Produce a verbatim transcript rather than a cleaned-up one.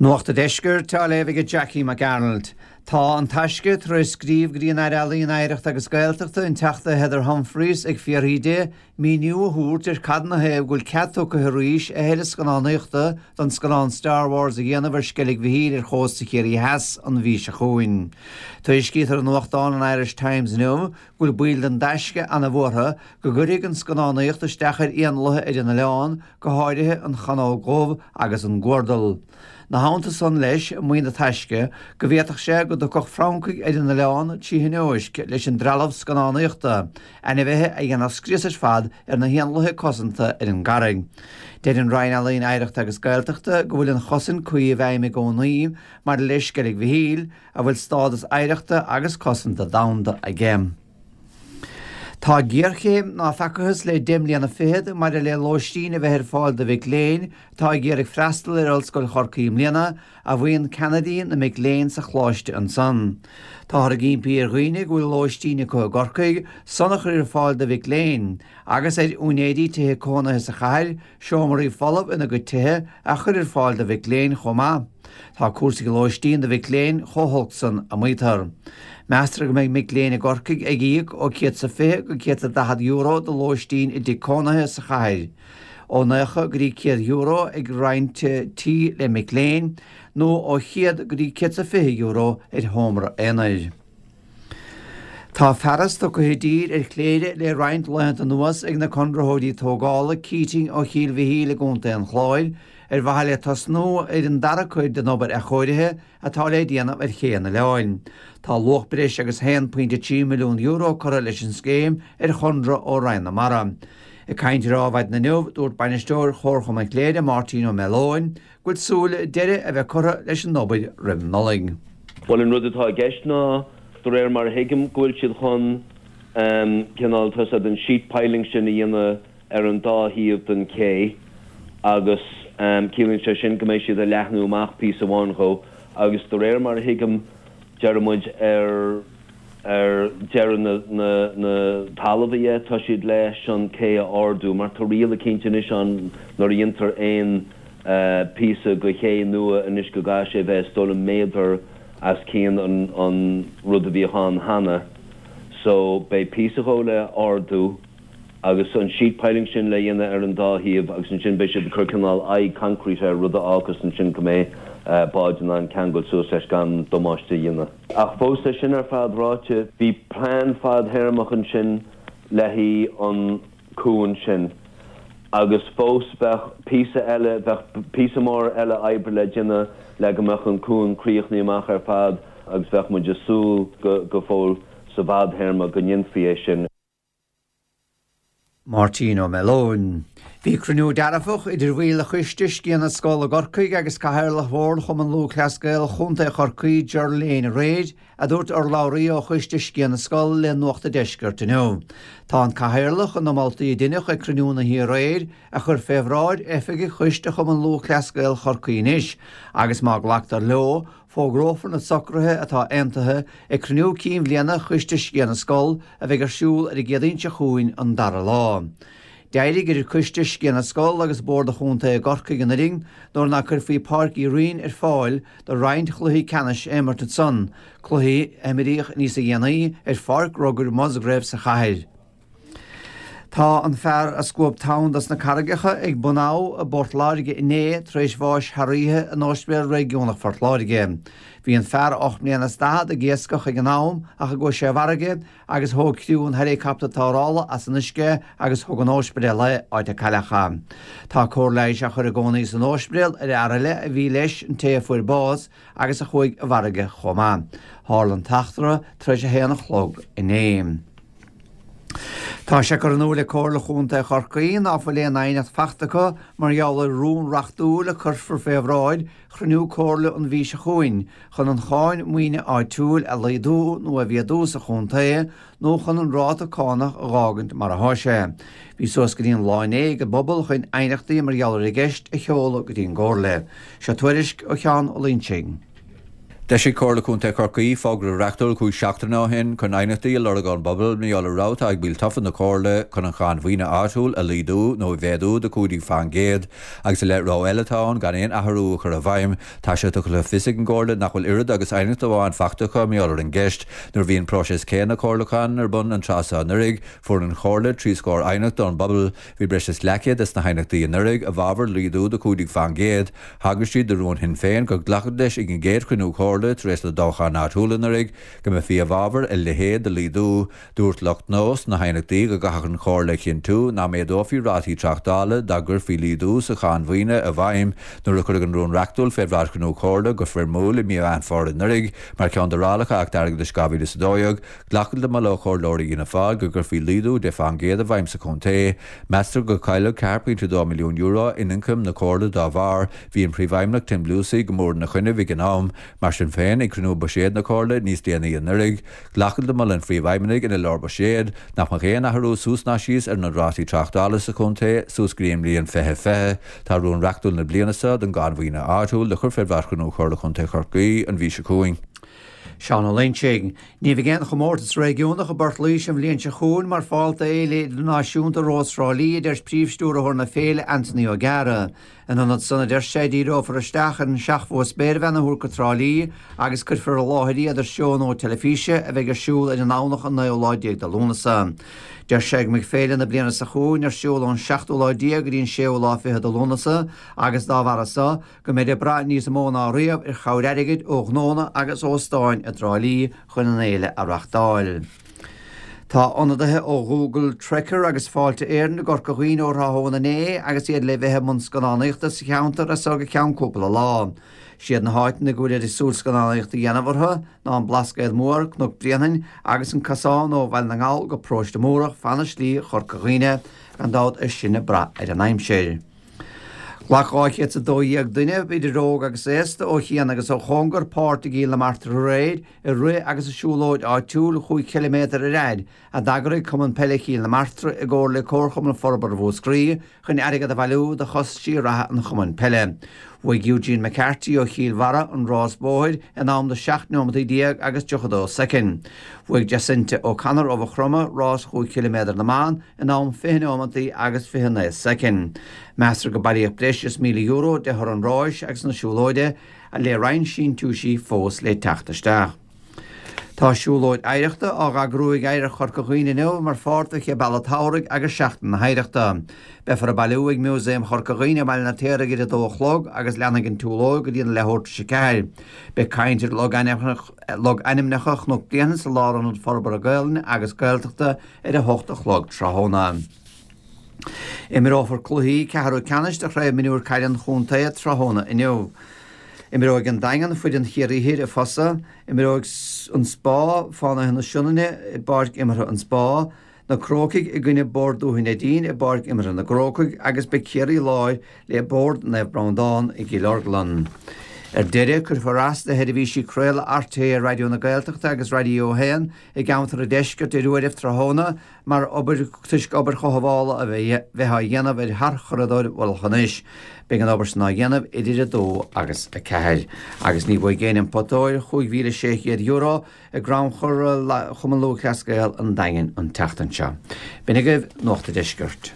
Nuacht an Deiscirt á léamh ag Jackie McArnold. Tá an Taisce tar éis scríobh go dtí an Aire Ealaíon Oidhreachta agus Gaeltachta an Teachta Heather Humphreys ag fiafraí di míniú a thabhairt ar cad ina thaobh go bhfuil cead tugtha arís a thuilleadh scannánaíochta don scannán Star Wars a dhéanamh ar Sceilg Mhichíl ar chósta Chiarraí Theas an mhí seo chugainn. Tuairiscítear i nuachtán an Irish Times inniu go bhfuil baill den Taisce an-bhuartha go gcuirfidh an scannánaíocht isteach ar éanlaithe ar an oileán, go háirithe an chanóg dhubh agus an guardal. Ina theannta san leis, maíonn an Taisce go bhféadfadh sé go dtiocfadh francaigh ar an oileán trí thionóisc leis an dtrealamh scannánaíochta, ainmhithe a dhéanfadh scrios ar fad ar na héanlaithe cosanta ar an gcarraig. Deir an Roinn Ealaíon Oidhreachta agus Gaeltachta go bhfuil an chosaint cuí i bhfeidhm i gcónaí maidir le Sceilg Mhichíl, a bhfuil stádas oidhreachta agus cosanta domhanda aige. Tá géarchéim ná feacathas le deich mbliana fichead maidir le lóistín a bheith ar fáil do mhic léinn atá ag iarraidh freastal ar Ollscoil Chorcaí i mbliana, a mhaíonn ceannaire na mic léinn sa choláiste ansan. Táthar ag impí ar dhaoine go bhfuil lóistín acu i gCorcaigh san a chur ar fáil do mhic léinn, agus ar úinéirí tithe cónaithe sa chathair seomraí folamh ina gcuid tithe a chur ar fáil do mhic léinn chomh maith. Tá cúrsaí lóistín do mhic léinn chomh holc san, a maítear. Meastar go mbeidh mic léinn i gCorcaigh ag íoc ó céad 's a fiche go céad 's a daichead euro do lóistín i dtigh cónaithe sa chathair, ó naocha go dtí céad euro ag roinnt tí le mic léinn, nó ó chéad go dtí céad 's a fiche euro ar sheomra aonair. Tá fearas tugtha i dtír ar Chléire le roinnt laethanta anuas ag na conraitheoirí tógála Keating ó Chill Mhichíl i gContae an Chláir ar mhaithe le tosnú ar an dara cuid den obair athchóirithe atá le déanamh ar ché an oileáin. Tá luach breis agus haon pointe trí milliún euro curtha leis an scéim ar chonradh ó Roinn na Mara. Ag caint ar Adhmhaidin inniu, dúirt bainisteoir Chomharchumann Chléire, Máirtín Ó Mealóin, go bhfuil súil deireadh a bheith curtha leis an obair roimh Nollaig. Bhuel, an rud atá i gceist ná, de réir mar a thuigim, go bhfuil siad chun cineál, tá a fhios agat, an sheet piling sin a dhéanamh ar an dá thaobh den ché agus ciallaíonn sé sin go mbeidh siad ag leathnú amach píosa amháin dhó agus de réir mar a thuigim, deir muid ar ar deireadh na na na talamh dhe, tá siad leis an cé a ardú mar tá riail eicínt anois ann nuair a dhéantar aon píosa de ché nua anois go gcaithfidh sé a bheith is dóigh liom méadar as cionn an an rud a bhíodh ann cheana so beidh píosa dhó le ardú agus an sheet piling sin le dhéanamh ar an dá thaobh agus ansin beidh siad ag cur cineál aghaidh concrete air rud a fhágfas ansin go mbeidh báid in ann ceangal suas leis gan damáiste a dhéanamh. Ach fós é sin ar fad ráite, bhí plean fadthéarmach ansin le haghaidh an cuan sin agus fós bheadh píosa eile, bheadh píosa mór eile oibre le déanamh le go mbeadh an cuan críochnaithe amach ar fad agus bheadh muid ag súil go fóill sa bhfadthéarma go ndéanfaí é sin. Máirtín Ó Mealóin. Bhí cruinniú dearfach idir bhaill Choiste Sciath na Scol i gCorcaigh agus Cathaoirleach Bhord Chumann Lúthchleas Gael Chontae Chorcaí, Ger Lane aréir, a dúirt urlabhraí ó Choiste Sciath na Scol le Nuacht an Deiscirt inniu. Tá an Cathaoirleach chun na moltaí a deineadh ag cruinniú na hoíche aréir a chur fé bhráid oifigigh Choiste Chumann Lúthchleas Gael Chorcaí anois agus má glactar leo, Fógrófar na socruithe atá aontaithe ag cruinniú cinn bhliana Choiste Sciath na Scol a bheidh ar siúl ar an gCéadaoin seo chugainn an dara lá. D'éirigh idir Coiste Sciath na Scol agus Bord an Chontae i gCorcaigh anuraidh nuair ná cuirfí Páirc Uí Rinn ar fáil do roinnt chluichí ceannais a imirt ansan, cluichí a imríodh níosa dhéanaí ar Pháirc Rugair Musgrave sa chathair. Tá an fear a scuab tonn dos na carraigeacha ag Bun Abha i bPort Láirge inné tar éis bháis thar oíche in Ospidéal Réigiúnach Phort Láirge. Bhí an fear ocht mbliana is daichead ag iascach ag an am ach a gcuaigh sé i bhfarraige agus thóg criú an heileacaptair tarrthála as an uisce agus thug an ospidéal é, áit a cailleadh é. Tá cóir leighis á chur i gcónaí san ospidéal ar fhear eile a bhí leis an té a fuair bás agus a chuaigh i bhfarraige chomh maith. Tharla an t-eachtra tar éis a haon a chlog inné. Tá sé curtha in iúl ag Comhairle Chontae Chorcaí ná fuil aon aighneacht fachta acu mar gheall ar rún reachtúil a cuirfear fé bhráid chruinniú Comhairle an mhí seo chugainn chun an cháin maoine áitiúil a laghdú nó a mhéadú sa chontae nó chun an ráta cánach a dh'fhágaint mar athá sé. Bhí suas go dtí an lá inné ag an bpobal chun aighneachtaí mar gheall ar an gceist a sheoladh go dtí an gComhairle. Seo tuairisc ó Sheán Ó Loinsigh. D'eisigh Comhairle Contae Chorcaí fógra reachtúil cúig seachtaine ó shin chun aighneachtaí a lorg ón bpobal mar gheall ar rogha atá ag baill tofa na Comhairle chun an cháin mhaoine áitiúil a laghdú nó a mhéadú de cúig déag faoin gcéad agus i leith rogha eile atá ann gan aon athrú a chur i bhfeidhm. Tá sé tugtha le fios ag an gComhairle nach bhfuil oiread agus aighneacht amháin faighte acu mar gheall ar an gceist. Nuair a bhí an próiseas céanna comhairliúcháin ar bun an tráth seo anuraidh, fuair an Chomhairle trí scór aighneacht ón bpobal. Bhí breis is leathchéad des na haighneachtaí anuraidh i bhfabhar laghdú de cúig déag faoin gcéad. Thagair siad do rún Shinn Féin gur glacadh leis ag an gcéad chruinniú Comhairle tar éis na dtoghchán áitiúil anuraidh go mbeifí i bhfabhar a leithéid de laghdú. Dúirt lucht NÓS sna haighneachtaí go gcaithfeadh an Chomhairle a chinntiú nach méadófaí rátaí tráchtála dá gcuirfí laghdú sa cháin mhaoine i bhfeidhm. Nuair a cuireadh an rún reachtúil fé bhráid chruinniú Comhairle go foirmiúil i mí Mheán Fómhair anuraidh mar cheann d'fhorálacha Acht Airgeadais dhá mhíle is a dó dhéag, glacadh le moladh ó chomhairleoirí Fhianna Fáil go gcuirfí laghdú deich faoin gcéad i bhfeidhm sa chontae. Meastar go gcaillfeadh ceathair pointe dó milliún euro in ioncam na Comhairle dá bharr. Bhí an Príomhfheidhmeannach Tim Lucey go mór ina choinnibh ag an am. Mar sin féin, ag cruinniú buiséid na Comhairle níos déanaí anuraidh, glacadh le moladh an Phríomhfheidhmeannaigh ina leabhar buiséid nach mbeadh aon athrú suas ná síos ar na rátaí tráchtála sa chontae suas go dtí an mbliain fiche fiche. Tá rún reachtúil na bliana seo don gcáin mhaoine áitiúil le cur fé bhráid chruinniú Chomhairle Chontae Chorcaí an mhí seo chugainn. Seán Ó Loingsigh. Ní bheidh aon chomórtas réigiúnach i bPort Laoise an bhliain seo chugainn mar pháirt d'Fhéile Idirnáisiúnta Rós Thrá Lí, a deir Príomhstiúrthóir na féile, Anthony O'Gara. In ionad san, a deir sé, díreofar isteach ar an seachmhua spéirbhean a thabhairt go Trá Lí agus cuirfear i láthair iad ar seónna teilifíse a bheidh ar siúl ar an nDomhnach an naoú lá déag de Lúnasa. Deir sé go mbeidh féile na bliana seo chugainn ar siúl ón seachtú lá déag go dtí an séú lá fichead de Lúnasa agus dá bharra so, go mbeidh ag brath níos mó ná riamh ar chabhair airgid ó ghnónna agus óstáin i dTrá Lí chun an fhéile a reachtáil. Tá ionadaithe ó Google Trekker agus Fáilte Éireann i gCorca Dhuibhne ó thráthnóna inné agus iad le bheith i mbun scannánaíochta sa cheantar as so go ceann cúpla lá. Siad na háiteanna go bhfuil ag súil scannánaíocht a dhéanamh orthu ná an Blascaod Mór, Cnoc Bréanainn agus an cosán ó Bhaile na nGall go Paróiste Múrach fan Slí Chorca Dhuibhne, gan dabht é sin ag brath ar an aimsir. Ghlac dhá chéad is a dó dhéag duine, idir óg agus aosta, ó chian agus ó chóngar, páirt i gCill na Martra aréir i rith agus i siúlóid áitiúil chúig chiliméadar ar fhad a d'eagraigh Cumann Peile Chill na Martra i gcomhar le Comharchumann Forbartha Mhúscraí chun airgead a bhailiú do chostaisí reatha an chumainn peile. Bhuaigh Eugene McCarthy ó Chill Bharra an rás bóthair in am de seacht neomataí déag agus tríocha dó soicind. Bhuaigh Jacinta O'Connor ó Mhaigh Chromtha rás chúig chiliméadar na mban in am fiche neomataí agus fiche naoi soicind. Meastar go bailíodh breis is míle euro de thoradh an ráis agus na siúlóide, le roinnt síntiúisí fós le teacht isteach. Tá siúlóid oidhreachta á eagrú ag Oidhreacht Chorca Dhuibhne inniu mar pháirt de Chéad Bealach Tsamhraidh agus Seachtain na hOidhreachta. Beifear ag bailiú ag Músaem Chorca Dhuibhne i mBaile an Fheirtéaraigh ar a dó a chlog agus leanfaidh an tsiúlóid go dtí an leathuair tar éis a ceathair. Beidh caint ar logainmneacha Chnoc Bréanainn sa Lárionad Forbartha Gaelainne agus Gaeltachta ar a hocht a chlog tráthnóna. Imreofar cluichí ceathrú ceannais de Chraobh Mionúir Caide an Chontae tráthnóna inniu. Imreoidh an Daingean foireann Chiarraí Thoir i Fosa, imreoidh an Spá Fánaithe na Sionainne i bPáirc Imeartha an Spá, Na Crócaigh i gcoinne Bord Dúiche Neidín i bPáirc Imeartha na gCrócaigh agus beidh Ciarraí Láir le Bord Naomh Breandán i gCill Orglan. Ar deireadh, cuirfear as do sheirbhísí craoladh rté Raidió na Gaeltachta agus Raidió a haon i gceantar an deiscirt ar uairibh tráthnóna mar obair toisc obair chothabhála a bheith á dhéanamh ar tharchuradóir Mhullach an Eich. Beidh an obair sin á dhéanamh idir a dó agus a ceathair. Agus ní bhuafaidh éinne an pota óir chúig mhíle sé chéad euro i gcrannchur Chumann Lúthchleas Gael an Daingin an tseachtain seo. B'in agaibh Nuacht an Deiscirt.